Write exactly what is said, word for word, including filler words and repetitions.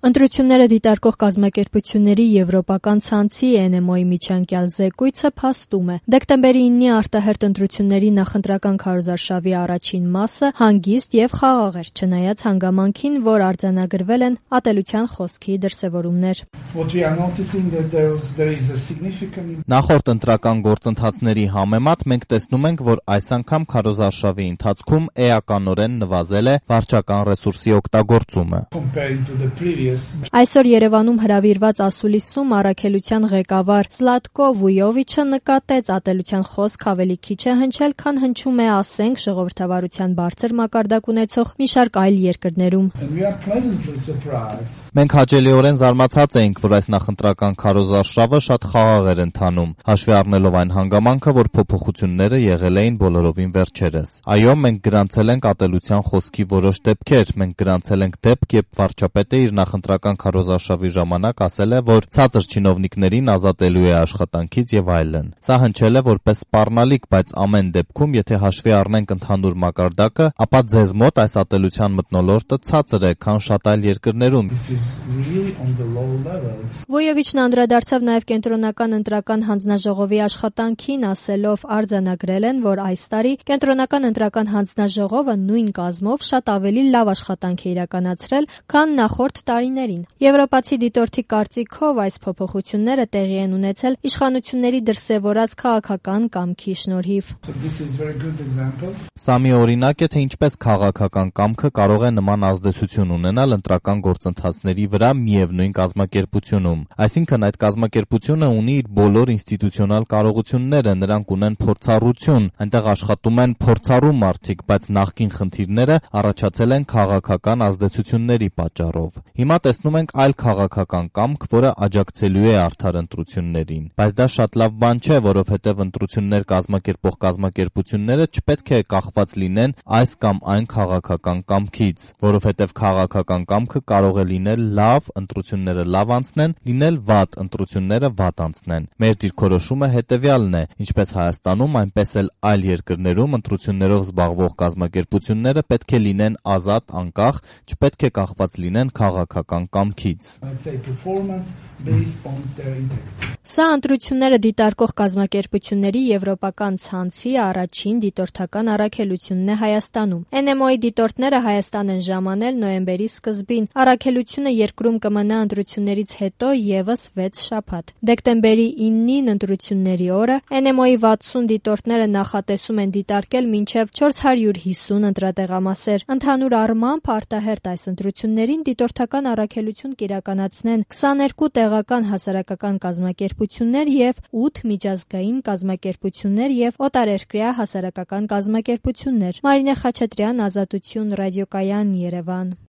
Ընտրությունները դիտարկող կազմակերպությունների եվրոպական ցանցի Էն Էմ Օ-ի միջանկյալ զեկույցը փաստում է. դեկտեմբերի իննի արտահերթ ընտրությունների նախընտրական քարոզարշավի առաջին մասը հանգիստ եւ խաղաղ էր, չնայած հանգամանքին, որ արձանագրվել են ատելության խոսքի դրսեւորումներ։ Նախորդ ընտրական գործընթացների համեմատ մենք տեսնում ենք, որ այս անգամ քարոզարշավի ընթացքում էականորեն նվազել է վարչական ռեսուրսի օգտագործումը։ Այսօր Երևանում հրավիրված ասուլիսում առաքելության ղեկավար Զլատկո Վույովիչը նկատեց ատելության խոսք ավելի քիչ է հնչել, քան հնչում է, ասենք, ժողովրդավարության բարձր մակարդակ ունեցող մի շարք այլ երկրներում։ Մենք հաճելիորեն զարմացած էինք, որ այս նախընտրական քարոզարշավը շատ խաղաղ էր ընթանում, հաշվի առնելով այն հանգամանքը, որ փոփոխությունները եղել էին բոլորովին վերջերս։ Այո, մենք գրանցել ենք ատելության խոսքի որոշ դեպքեր, մենք գրանցել ենք դեպք, երբ վարչապետը իր նախընտրական քարոզարշավի ժամանակ ասել է, որ ցածր չինովնիկներին ազատելու է աշխատանքից եւ այլն։ Սա հնչել է որպես սպառնալիք, բայց ամեն դեպքում, եթե հաշվի առնենք ընդհանուր մակարդակը, ապա ձեզ մոտ այս ատելության մթնոլորտը ցածր է, քան շատ այլ երկրներում։ Վոյովիչն անդրադարձավ նաև կենտրոնական ընտրական հանձնաժողովի աշխատանքին, ասելով արձանագրել են, որ այս տարի կենտրոնական ընտրական հանձնաժողովը նույն կազմով շատ ավելի լավ աշխատանք է իրականացրել, քան նախորդ տարիներին։ Եվրոպացի դիտորդի կարծիքով այս փոփոխությունները տեղի են ունեցել իշխանությունների դրսևորած քաղաքական կամքի շնորհիվ։ Սա մի օրինակ է, թե ինչպես քաղաքական կամքը կարող է նման ազդեցություն ունենալ ընտրական գործընթացների վրա միևնույն կազմակերպությունում։ Այսինքն այդ կազմակերպությունը ունի իր բոլոր ինստիտուցիոնալ կարողությունները, նրանք ունեն փորձառություն, այնտեղ աշխատում են փորձառու մարդիկ, բայց նախկին խնդիրները առաջացել են քաղաքական ազդեցությունների պատճառով։ Հիմա տեսնում ենք այլ քաղաքական կամք, որը աջակցելու է արդար ընտրություններին։ Բայց դա շատ լավ բան չէ, որովհետև ընտրություններ կազմակերպող կազմակերպությունները չպետք է կախված լինեն այս կամ այն քաղաքական կամքից, որովհետև քաղաքական կամքը կարող է լինել լավ, ընտրությունները լավ անցնեն, լինել վատ, ընտրությունները վատ անցնեն։ Մեր դիրքորոշումը հետևյալն է. ինչպես Հայաստանում, այնպես էլ այլ երկրներում ընտրություններով զբաղվող կազմակերպությունները պետք է լինեն ազատ, անկախ, չպետք է կախված լինեն քաղաքական կամքից։ Սա ընտրությունները դիտարկող կազմակերպությունների եվրոպական ցանցի առաջին դիտորդական առաքելությունն է Հայաստանում։ Էն Էմ Օ-ի դիտորդները Հայաստան են ժամանել նոյեմբերի սկզբին։ Առաքելությունը երկրում կմնա ընտրություններից հետո ևս վեց շաբաթ։ Դեկտեմբերի իննին ընտրությունների օրը Էն Էմ Օ-ի վաթսուն դիտորդները նախատեսում են դիտարկել մինչև չորս հարյուր հիսուն ընտրատեղամասեր։ Ընդհանուր առմամբ արտահերթ այս ընտրություններին դիտորդական առաքելություն կիրականացնեն քսաներկու տեղական հասարակական կազմակերպություններ եւ ութ միջազգային կազմակերպություններ եւ օտարերկրյա հասարակական կազմակերպություններ։ Մարինե Խաչատրյան, Ազատություն, Ռադիոկայան, Երևան։